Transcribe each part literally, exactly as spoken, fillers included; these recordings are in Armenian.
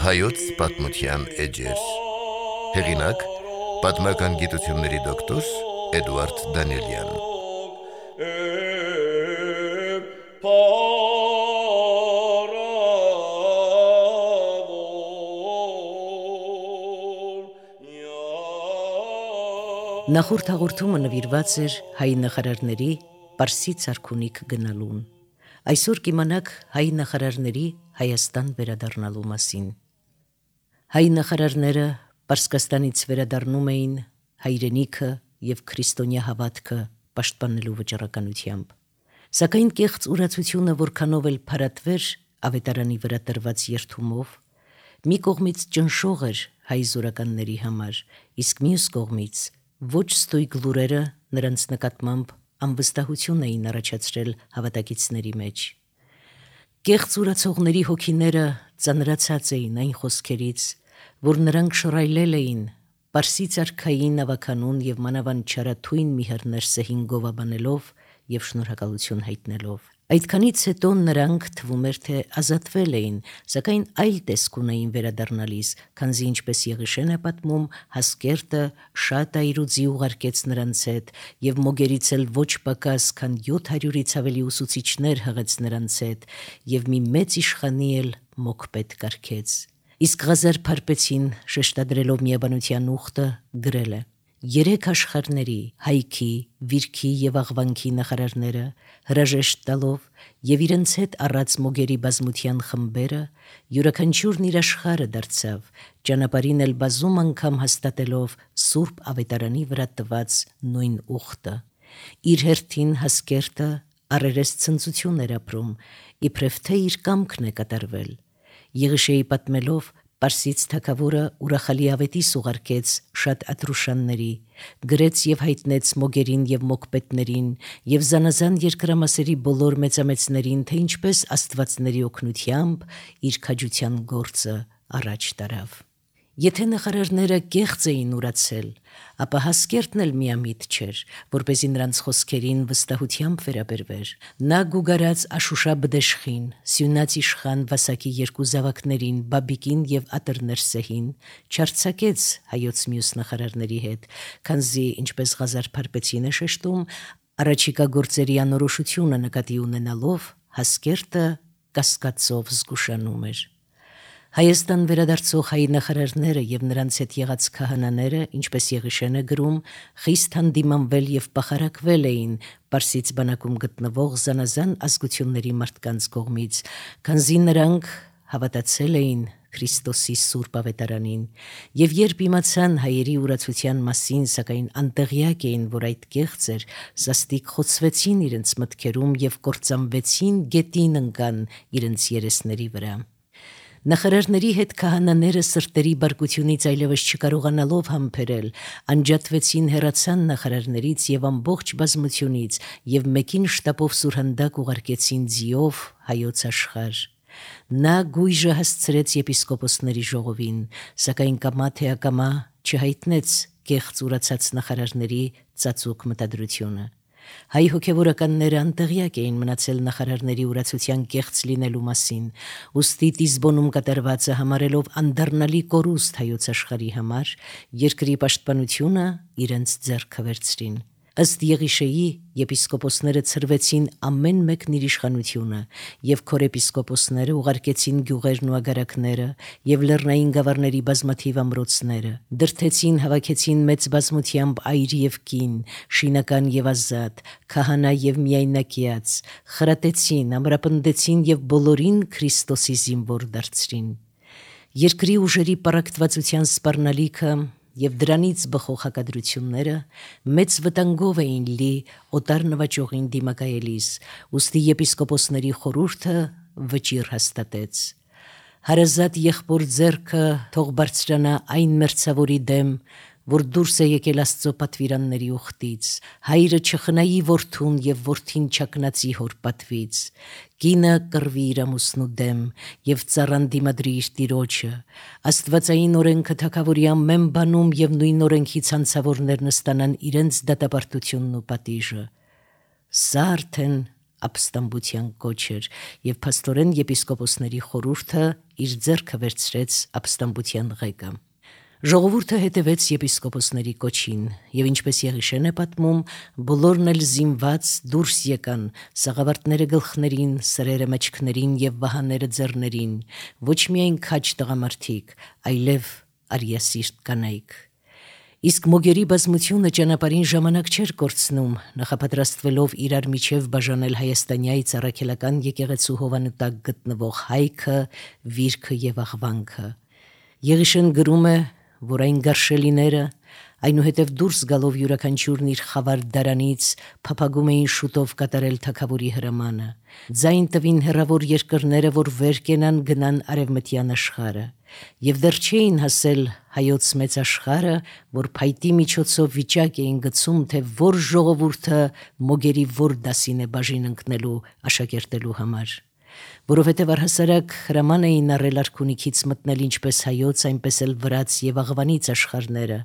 Հայոց պատմության էջեր։ Հեղինակ՝ պատմական գիտությունների դոկտոր Էդուարդ Դանիելյան։ Նախորդ հաղորդումը նվիրված էր հայ նախարարների Պարսից արքունիք գնալուն։ Այսօր կիմանաք հայ նախարարների Հայաստան վերադառնալու մասին։ Հայ նախարարները Պարսկաստանից վերադառնում էին հայրենիքը և քրիստոնյա հավատքը պաշտպանելու վճռականությամբ։ Սակայն կեղծ ուրացությունը որքանով էլ փարատվեր ավետարանի վրա տրված երդումով, մի կողմից ճնշող էր հայ զորականների համար, իսկ մյուս կողմից ոչ ստույգ լուրերը նրանց նկատմամբ անվստահություն էին առաջացրել հավատակիցների մեջ։ Կեղծ ուրացողների հոգիները ծանրացած էին այն խոսքերից, որ նրանք շռայլել էին Պարսից արքային ավականուն և մանավանդ չարաթույն մի հռներսեհին գովաբանելով և շնորհակալություն հայտնելով։ Այդքանից հետո նրանք թվում էր, թե ազատվել էին, սակայն այլ տեսք ունեին վերադառնալիս, քանզի ինչպես Եղիշեն է պատմում, Հասկերտը շատ այրուձի ուղարկեց նրանց հետ և մոգերից էլ ոչ պակաս, քան յոթ հարյուրից ավելի ուսուցիչներ հղեց նրանց հետ և մի մեծ իշխանի էլ մոկպետ կարգեց։ Իսկ Ղազար Փարպեցին, շեշտադրելով միաբանության ուխտը, գրել է. «Երեք աշխարհների՝ հայքի, վիրքի և աղվանքի նախարարները հրաժեշտ տալով և իրենց հետ առած մոգերի բազմության խմբերը յուրաքանչյուրն իր աշխարհը դարձավ, ճանապարհին էլ բազում անգամ հաստատելով Սուրբ Ավետարանի վրա տված նույն ուխտը։ Իր հերթին Հասկերտը առերես ցնծություն էր ապրում, իբրև թե իր կամքն է կատարվել։ Եղիշեի պատմելով Պարսից թագավորը ուրախալի ավետիս ուղարկեց շատ Ատրուշանների, գրեց և հայտնեց մոգերին և մոկպետներին և զանազան երկրամասերի բոլոր մեծամեծներին, թե ինչպես աստվածների օգնությամբ իր քաջության գործը առաջ տարավ։ Եթե նախարարները կեղծ էին ուրացել, ապա Հասկերտն էլ միամիտ չէր, որպեսզի նրանց խոսքերին վստահությամբ վերաբերվեր։ Նա գուգարած Աշուշաբդեշխին, սյունած իշխան Վասակի երկու զավակներին՝ Բաբիկին և Ատրներսեհին, չարձակեց հայոց մյուս նախարարների հետ, քանզի, ինչպես Ղազար Փարպեցին է շեշտում, առաջիկա գործերի անորոշությունը նկատի ունենալով Հասկերտը կասկածով զգուշանում էր։ Հայաստան վերադարձող հայ նախարարները և նրանց հետ եղած քահանաները, ինչպես Եղիշեն է գրում, խիստ հանդիմանվել և պախարակվել էին Պարսից բանակում գտնվող զանազան ազգությունների մարդկանց կողմից, քանզի նրանք հավատացել էին Քրիստոսի Սուրբ Ավետարանին, և երբ իմացան հայերի ուրացության մասին, սակայն անտեղյակ էին, որ այդ կեղծ էր, սաստիկ խոցվեցին իրենց մտքերում և կործանվեցին գետին ընկան իրենց երեսների վրա։ Նախարարների հետ քահանաները սրտերի բարկությունից այլևս չկարողանալով համբերել, անջատվեցին, հեռացան նախարարներից և ամբողջ բազմությունից և մեկին շտապով սուրհանդակ ուղարկեցին ձիով հայոց աշխարհ։ Նա գույժը հասցրեց եպիսկոպոսների ժողովին, սակայն կամա թե ակամա չհայտնեց կեղծ ուրացած նախարարների ծածուկ մտադրությունը։ Հայ հոգևորականները անտեղյակ էին մնացել նախարարների ուրացության կեղծ լինելու մասին, ուստի Տիզբոնում կատարվածը համարելով անդառնալի կորուստ հայոց աշխարհի համար, երկրի պաշտպանությունը իրենց ձեռքը վերցրին։ Ըստ Եղիշեի, եպիսկոպոսները ցրվեցին ամեն մեկն իր իշխանությունը, և քորեպիսկոպոսները ուղարկեցին գյուղերն ու ագարակները և լեռնային գավառների բազմաթիվ ամրոցները, դրդեցին, հավաքեցին մեծ բազմությամբ այր և կին, շինական և ազատ, քահանա և միայնակյաց, խրատեցին, ամրապնդեցին և բոլորին Քրիստոսի զինվոր դարձրին։ Երկրի ուժերի պառակտվածության սպառնալիքը և դրանից բխող հակադրությունները մեծ վտանգով էին լի օտար նվաճողին դիմակայելիս, ուստի եպիսկոպոսների խորհուրդը վճիռ հաստատեց. «Հարազատ եղբոր ձեռքը թող բարձրանա այն մերձավորի դեմ, որ դուրս է եկել Աստծո պատվիրանների ուխտից, հայրը չխնայի որդուն և որդին չակնածի հոր պատվից, կինը կռվի իր ամուսնու դեմ և ծառան դիմադրի իր տիրոջը, աստվածային օրենքը թագավորի ամեն բանում և նույն օրենքի ցանցավորներն ստանան իրենց դատապարտությունն ու պատիժը։ Սա արդեն ապստամբության կոչ էր, եւ փաստորեն եպիսկոպոսների խորհուրդը իր ձեռքը վերցրեց ապստամբության ղեկը։ Ժողովուրդը հետևեց եպիսկոպոսների կոչին, եւ ինչպես Եղիշեն է պատմում, բոլորն էլ զինված դուրս եկան, սաղավարտները գլխներին, սրերը մեջքներին եւ վահաները ձեռներին, ոչ միայն քաջ տղամարդիկ, այլև արիասիրտ կանայք։ Իսկ մոգերի բազմությունը ճանապարհին ժամանակ չէր կորցնում, նախապատրաստվելով իրար միջև բաժանել հայաստանյայից առաքելական եկեղեցու հովանու տակ գտնվող հայքը, վիրքը եւ աղվանքը։ Եղիշեն գրում է, որ այն գարշելիները, այնուհետև դուրս գալով յուրաքանչյուրն իր խավար դարանից փափագում էին շուտով կատարել թագավորի հրամանը։ Ձայն տվին հեռավոր երկրները, որ վեր կենան գնան արևմտյան աշխարհը, եւ դեռ չէին հասել հայոց մեծ աշխարհը, որ փայտի միջոցով վիճակ էին գցում, թե որ ժողովուրդը մոգերի որ դասին է բաժին ընկնելու աշակերտելու համար։ Որովհետև առհասարակ հրաման էին առել արքունիքից մտնել ինչպես հայոց, այնպես էլ վրաց եւ աղվանից աշխարհները,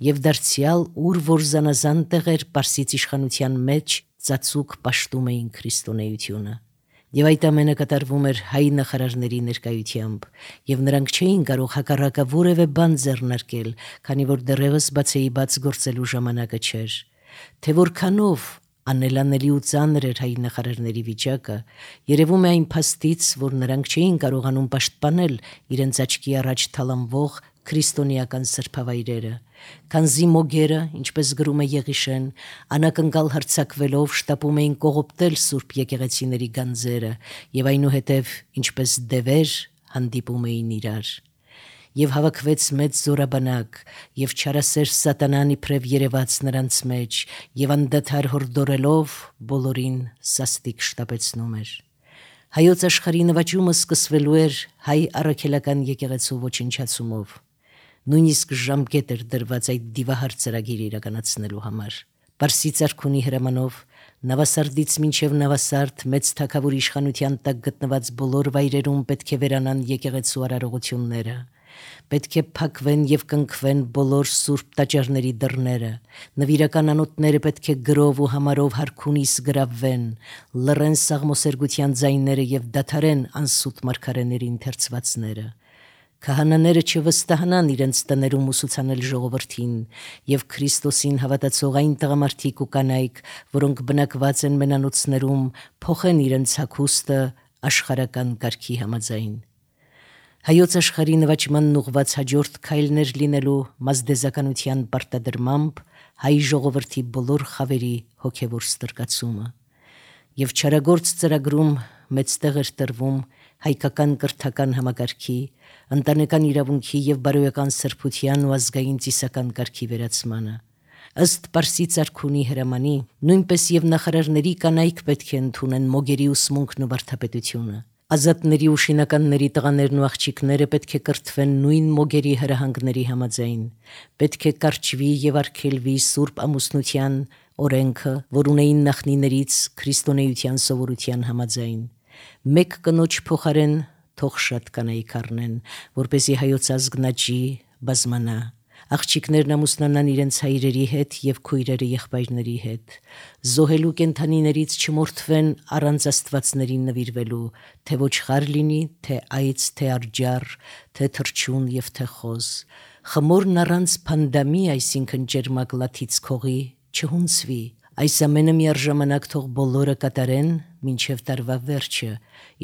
եւ դարձյալ ուր որ զանազան տեղեր Պարսից իշխանության մեջ ծածուկ պաշտում էին քրիստոնեությունը։ Եվ այդ ամենը կատարվում էր հայ նախարարների ներկայությամբ, եւ նրանք չէին կարող հակառակը որևէ բան ձեռնարկել, քանի որ դեռևս բացեի բաց գործելու ժամանակը չէր։ Թե որքանով անելանելի ու ծանր էր հայ նախարարների վիճակը, երևում է այն փաստից, որ նրանք չէին կարողանում պաշտպանել իրենց աչքի առաջ թալանվող քրիստոնեական սրբավայրերը, քանզի մոգերը, ինչպես գրում է Եղիշեն, անակնկալ հարձակվելով շտապում էին կողոպտել սուրբ եկեղեցիների գանձերը եւ այնուհետև ինչպես դևեր հանդիպում էին իրար։ Եվ հավաքվեց մեծ զորաբանակ, եւ չարասեր սատանան իբրև երևաց նրանց մեջ, եւ անդադար հորդորելով բոլորին սաստիկ շտապեցնում էր։ Հայոց աշխարհի նվաճումը սկսվելու էր հայ առաքելական եկեղեցու ոչնչացումով։ Նույնիսկ ժամկետ էր դրված այդ դիվահար ծրագիրը իրականացնելու համար։ Պարսից արքունի հրամանով Նավասարդից մինչև Նավասարդ մեծ թագավորի իշխանության տակ գտնված բոլոր վայրերում պետք է վերանան եկեղեցու արարողությունները։ Պետք է փակվեն եւ կնքվեն բոլոր սուրբ տաճարների դռները, նվիրական անոթները պետք է գրով ու համարով հարքունիս գրավվեն, լռեն սաղմոսերգության ձայները եւ դադարեն անսուտ մարգարեների ընթերցվածները։ Քահանաները չվստահանան իրենց տներում ուսուցանել ժողովրդին եւ Քրիստոսին հավատացող այն տղամարդիկ ու կանայք, որոնք բնակված են մենանոցներում, փոխեն իրենց հագուստը աշխարհական կարգի համաձայն։ Հայոց աշխարհի նվաճմանն ուղված հաջորդ քայլներ լինելու մազդեզականության պարտադրմամբ հայ ժողովրդի բոլոր խավերի հոգևոր ստրկացումը։ Եվ չարագործ ծրագրում մեծ տեղ էր տրվում հայկական կրթական համակարգի, ընտանեկան իրավունքի եւ բարոյական սրբության ու ազգային ծիսական կարգի վերացմանը։ Ըստ Պարսից արքունի հրամանի, նույնպես եւ նախարարների կանայք պետք է ընդունեն մոգերի ուսմունքն ու վարդապետությունը։ Ազատների ու շինականների տղաներն ու աղջիկները պետք է կրթվեն նույն մոգերի հրահանգների համաձայն։ Պետք է կարճվի եւ արգելվի սուրբ ամուսնության օրենքը, որ ունեին նախնիներից քրիստոնեության սովորության համաձայն։ Մեկ կնոջ փոխարեն թող շատ կանայք առնեն, որպեսզի հայոց ազգն աճի, բազմանա։ Աղջիկներն ամուսնանան իրենց հայրերի հետ եւ քույրերը եղբայրների հետ։ Զոհելու կենդանիներից չմորթվեն առանց աստվածներին նվիրվելու, թե ոչխար լինի, թե այծ, թե արջար, թե թռչուն եւ թե խոզ։ Խմորն առանց փանդամի, այսինքն ջերմակ լաթից քողի, չհունցվի։ Այս ամենը միառժամանակ թող բոլորը կատարեն մինչև տարվա վերջը,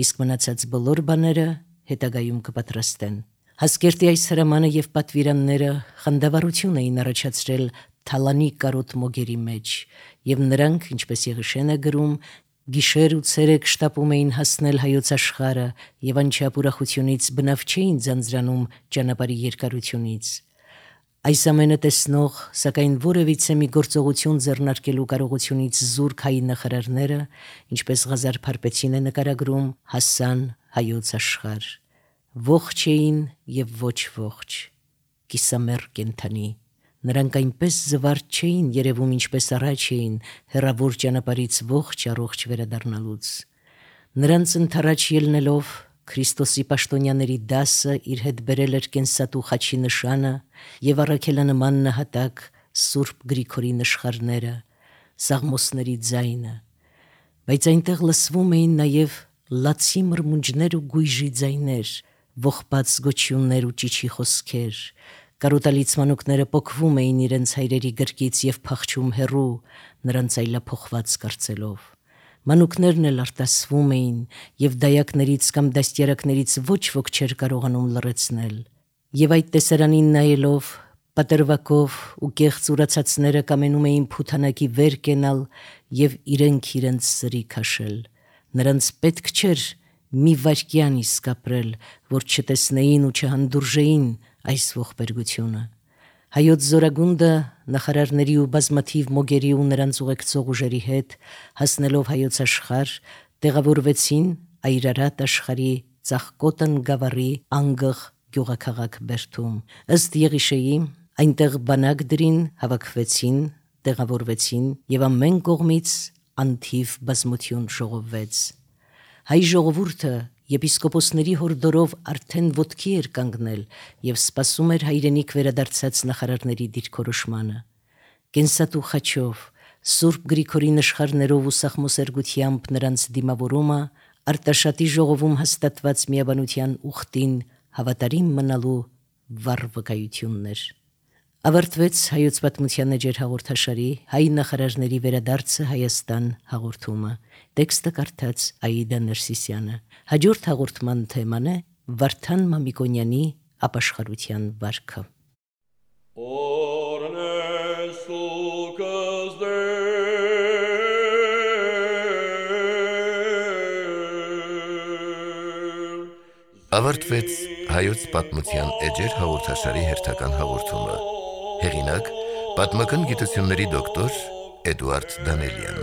իսկ մնացած բոլոր բաները հետագայում կպատրաստեն։ Հասկերտի այս հրամանը եւ պատվիրանները խանդավառություն էին առաջացրել թալանի կարոտ մոգերի մեջ, եւ նրանք, ինչպես Եղիշեն է գրում, գիշեր ու ցերեկ շտապում էին հասնել հայոց աշխարհը եւ անչափ ուրախությունից բնավ չէին ձանձրանում ճանապարհի երկարությունից։ Այս ամենը տեսնող, սակայն որևիցե մի գործողություն ձեռնարկելու կարողությունից զուրկ հայ նախարարները, ինչպես Ղազար Փարպեցին է նկարագրում, հասան հայոց աշխարհ։ Ողջ էին եւ ոչ ողջ, կիսամեռ կենդանի։ Նրանք այնպես զվարճ չէին երևում, ինչպես առաջ էին, հեռավոր ճանապարհից ողջ առողջ վերադառնալուց։ Նրանց ընթառաջ ելնելով Քրիստոսի պաշտոնյաների դասը իր հետ բերել էր կենսատու խաչի նշանը եւ առաքելանման նահատակ Սուրբ Գրիգորի նշխարները, սաղմոսների ձայնը։ բայց այնտեղ լսվում էին նաև լացի մրմունջներ ու գույժի ձայներ, ողբած գոչյուններ ու ճիչի խոսքեր, կարոտալից մանուկները պոկվում էին իրենց հայրերի գրկից և փախչում հեռու, նրանց այլափոխված կարծելով։ Մանուկներն էլ արտասվում էին, և դայակներից կամ դաստիարակներից ոչ ոք չէր կարողանում լռեցնել։ Եվ այդ տեսարանին նայելով, պատրվակով ու կեղծ ուրացածները կամենում էին փութանակի վեր կենալ և իրենք իրենց սրի քաշել։ Նրանց պետք չէր մի վայրկյան իսկ ապրել, որ չտեսնեին ու չհանդուրժեին այս ողբերգությունը։ Հայոց զորագունդը նախարարների ու բազմաթիվ մոգերի ու նրանց ուղեկցող ուժերի հետ, հասնելով հայոց աշխարհ, տեղավորվեցին Այրարատ աշխարհի Ծաղկոտն գավառի անգղ գյուղաքաղաք Բերդում։ Ըստ Եղիշեի, այնտեղ բանակ դրին, հավաքվեցին, տեղավորվեցին և ամեն կողմից անթիվ բազմություն ժողովվեց։ Հայ ժողովուրդը եպիսկոպոսների հորդորով արդեն ոտքի էր կանգնել և սպասում էր հայրենիք վերադարձած նախարարների դիրքորոշմանը։ Կենսատու խաչով, Սուրբ Գրիգորի նշխարներով ու սաղմոսերգությամբ նրանց դիմավորումը Արտաշատի ժողովում հաստատված միաբանության ուխտին հավատարիմ մնալու վառ վկայությունն էր։ Ավարտվեց Հայոց պատմության էջեր հաղորդաշարի հայ նախարարների վերադարձը Հայաստան հաղորդումը։ Տեքստը կարդաց Աիդա Ներսիսյանը։ Հաջորդ հաղորդման թեման է Վարդան Մամիկոնյանի ապաշխարության վարքը։ Ավարտվեց Հայոց պատմության էջեր հաղորդաշարի հերթական հաղորդումը։ Հեղինակ՝ պատմական գիտությունների դոկտոր Էդուարդ Դանելյան։